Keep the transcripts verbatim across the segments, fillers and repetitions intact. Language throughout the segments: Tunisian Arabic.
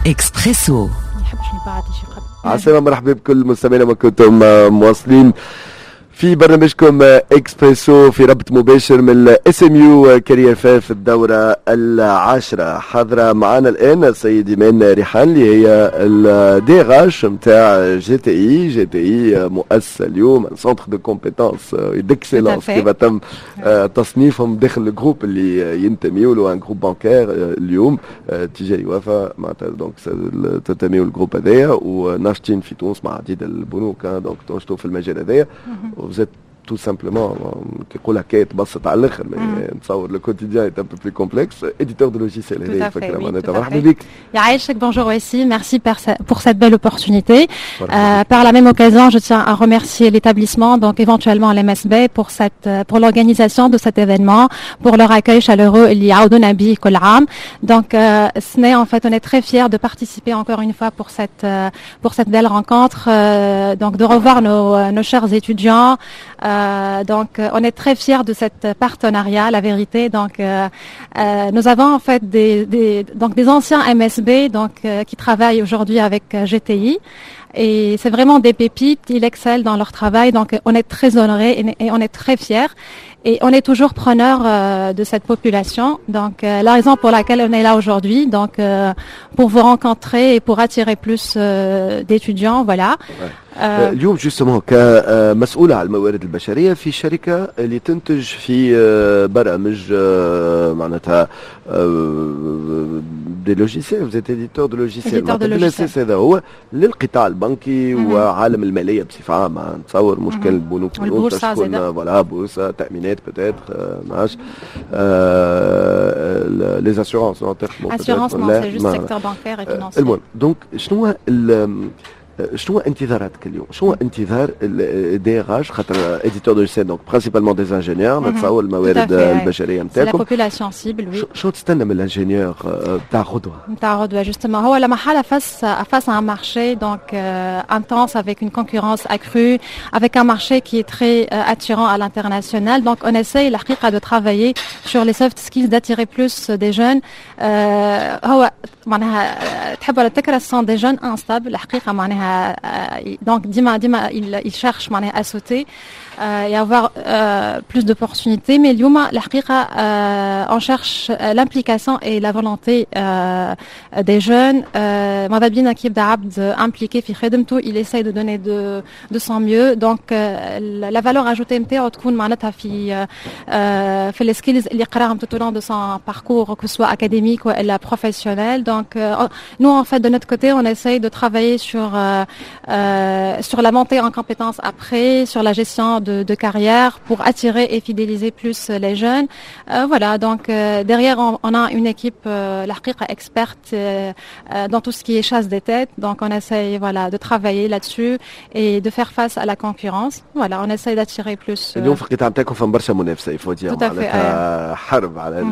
اكسبريسو. عسلامة، مرحبا بكل مستمعينا ما كنتم مواصلين في برنامجكم اكسبريسو في ربط مباشر من ال SMU Career Fair في الدورة العاشرة. حاضرة معنا الآن السيد إيمان ريحان اللي هي ال DRH نتاع جي تي اي. جي تي اي مؤسسة اليوم centre de compétences d'excellence كيف تم تصنيفهم داخل ال groupe اللي ينتميوا له، un groupe bancaire اليوم تجاري وفا معناتها، donc تنتميوا لل groupe هذايا وناشطين في تونس مع عديد البنوك، donc تنشطوا في المجال هذايا. vous êtes tout simplement، كيقول هكا تبسط على الاخر، نتصور le quotidien est un peu plus complexe، éditeur de logiciels. هذه الفكرة معناتها. مرحبا بك. يعيشك، bonjour aussi, merci pour cette belle opportunité. Euh, par la même occasion, je tiens à remercier l'établissement, donc éventuellement l'M S B, pour cette pour l'organisation de cet événement, pour leur accueil chaleureux اللي يعودونا به كل عام. Donc السنة en fait on est très fiers de participer encore une fois pour cette pour cette belle rencontre, euh, donc de revoir nos nos chers étudiants. Euh, donc, on est très fiers de cette partenariat, la vérité. Donc, euh, euh, nous avons en fait des, des, donc des anciens M S B, donc qui travaillent aujourd'hui avec G T I. Et c'est vraiment des pépites, ils excellent dans leur travail, donc on est très honorés et, et on est très fiers. Et on est toujours preneur euh, de cette population. Donc euh, la raison pour laquelle on est là aujourd'hui, donc euh, pour vous rencontrer et pour attirer plus d'étudiants, voilà. اليوم justement كمسؤولة على الموارد البشرية في شركة اللي تنتج في برامج معناتها des logiciels، vous êtes éditeur de logiciels، بالاساس هذا هو للقطاع البنكي وعالم المالية بصفة عامة، نتصور مش كان البنوك، والبورصة. voilà، بورصة، تأمينات، peut-être ما عرفتش، les assurances. assurances non، c'est juste secteur bancaire et financier. المهم donc شنو شنو انتظاراتك اليوم؟ شنو انتظار ال DRH؟ خاطر éditeur de logiciels، donc principalement des ingénieurs، نتصور الموارد البشرية نتاعكم. la population cible، oui. شنو تستنى من ال ingénieur نتاع غدوه؟ نتاع غدوه justement هو لما حاله face face à un marché donc euh, intense، avec une concurrence accrue، avec un marché qui est très euh, attirant à l'international. Donc on essaye الحقيقة de travailler sur les soft skills، d'attirer plus des jeunes. euh, هو معناها تحب ولا تكره sont des jeunes instables الحقيقه، معناها donc ديما ديما il, il cherche معناها à sauter euh, et avoir euh, plus d'opportunités. Mais اليوم الحقيقة euh, on cherche l'implication et la volonté euh, des jeunes. ماذا بينا كي يبدا عبد impliqué في خدمته، il essaye de donner de, de son mieux. donc la valeur ajoutée نتاعو تكون معناتها في في les skills اللي قراهم tout au long de son parcours، que ce soit académique ou professionnel. donc nous en fait de notre côté on essaye de travailler sur euh, sur la montée en compétences après، sur la gestion de, de carrière pour attirer et fidéliser plus les jeunes. Euh, voilà, donc euh, derrière on, on a une équipe الحقيقة experte dans tout ce qui est chasse des têtes. Donc on essaye، voilà، de travailler là-dessus et de faire face à la concurrence. Voilà، on essaye d'attirer plus. اليوم في القطاع نتاعكم فما برشا منافسه، il faut dire معناتها حرب على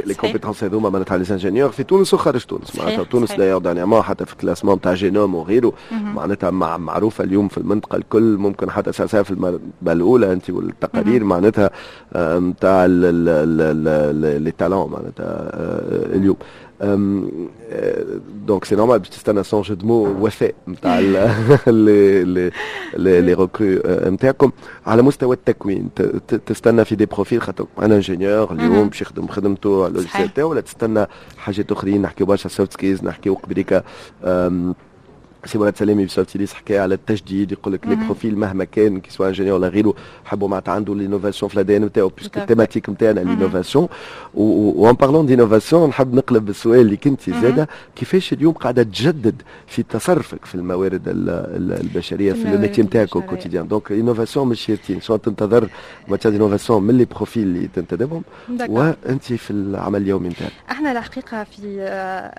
les compétences هذوما، معناتها les ingénieurs في تونس وخارج تونس. معناتها تونس d'ailleurs dernièrement حتى في ال classement تاع جينوم وغيره معناتها مع معروفة اليوم في المنطقة الكل، ممكن حتى ساعة في المرتبة الاولى انت والتقارير معناتها نتاع les talents معناتها اليوم. donc c'est normal باش تستنى، sans jeu de mots، وفاء نتاع les les les recrues نتاعكم. على مستوى التكوين تستنى في des profils، خاطر un ingénieur اليوم باش يخدم خدمته على ال logiciel تاعو، ولا تستنى حاجات اخرين؟ نحكيو برشا soft skills، نحكيو قبليك سي مراد سلامي في سوفتيليس حكى على التجديد، يقول لك les profils مهما كان، que ce soit ingénieur ولا غيره، حبوا معناتها عنده l'innovation في l'ADN نتاعو، puisque ال thématique نتاعنا l'innovation. و en parlant d'innovation نحب نقلب السؤال اللي كنت زاده، كيفاش اليوم قاعدة تجدد في تصرفك في الموارد البشرية في ال métier نتاعك quotidien؟ donc innovation مش شيرتين، شنو تنتظر matière d'innovation من les profils اللي تنتدبهم وانت في العمل اليومي نتاعك؟ احنا الحقيقة في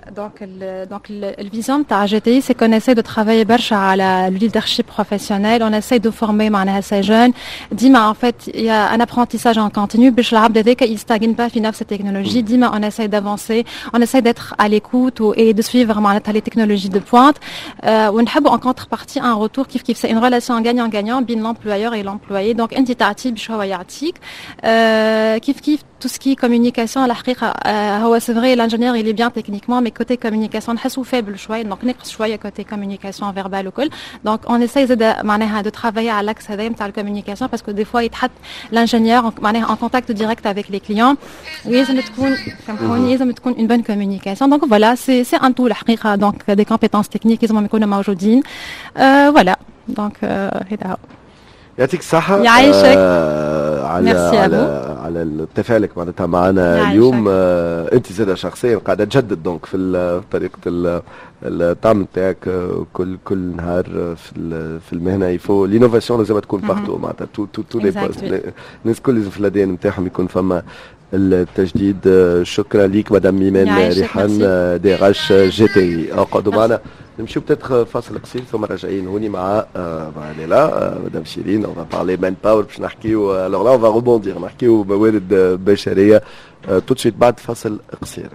donc donc ال vision تاع GTI c'est qu'on essaie de travailler برشا على le leadership professionnel، on essaie de former معناها ces jeunes. ديما en fait il y a un apprentissage en continu باش العبد هذاك il stagne pas في نفس التكنولوجي. ديما on essaie d'avancer، on essaie d'être à l'écoute et de suivre معناتها les technologies de pointe، ونحبوا en contrepartie un retour. كيف كيف c'est une relation gagnant gagnant بين l'employeur et l'employé، donc انت تعطيه باش هو يعطيك. كيف كيف tout ce qui est communication الحقيقة هو c'est vrai, l'ingénieur, il est bien techniquement, mais côté communication نحسو faible شوية, donc نقص شوية côté communication verbale وكل. Donc on essaye زاد معناها de travailler على l'axe هذا نتاع ال communication, parce que des fois يتحط l'ingénieur معناها en contact direct avec les clients ولازم تكون, سامحوني, لازم تكون une bonne communication. Donc voilà, c'est c'est un tout الحقيقة. Donc des compétences techniques لازم يكونوا موجودين. voilà, donc هذا هو. يعطيك الصحة. يعيشك. آه على على على تفاعلك معناتها معنا اليوم. آه انت زادة شخصيا قاعدة تجدد donc في طريقة التعامل نتاعك كل كل نهار في في المهنة. il faut l'innovation لازم تكون partout, معناتها tous tous tous les postes, الناس الكل لازم في ال A D N نتاعهم يكون فما التجديد. شكرا ليك مدام ايمان ريحان, D R H G T I. اقعدوا معنا, نمشيو peut-être فاصل قصير ثم راجعين هوني مع مع ليلى, مدام شيرين. on va parler manpower, باش نحكيو, alors là on va rebondir, نحكيو موارد بشريه tout de suite بعد فاصل قصير.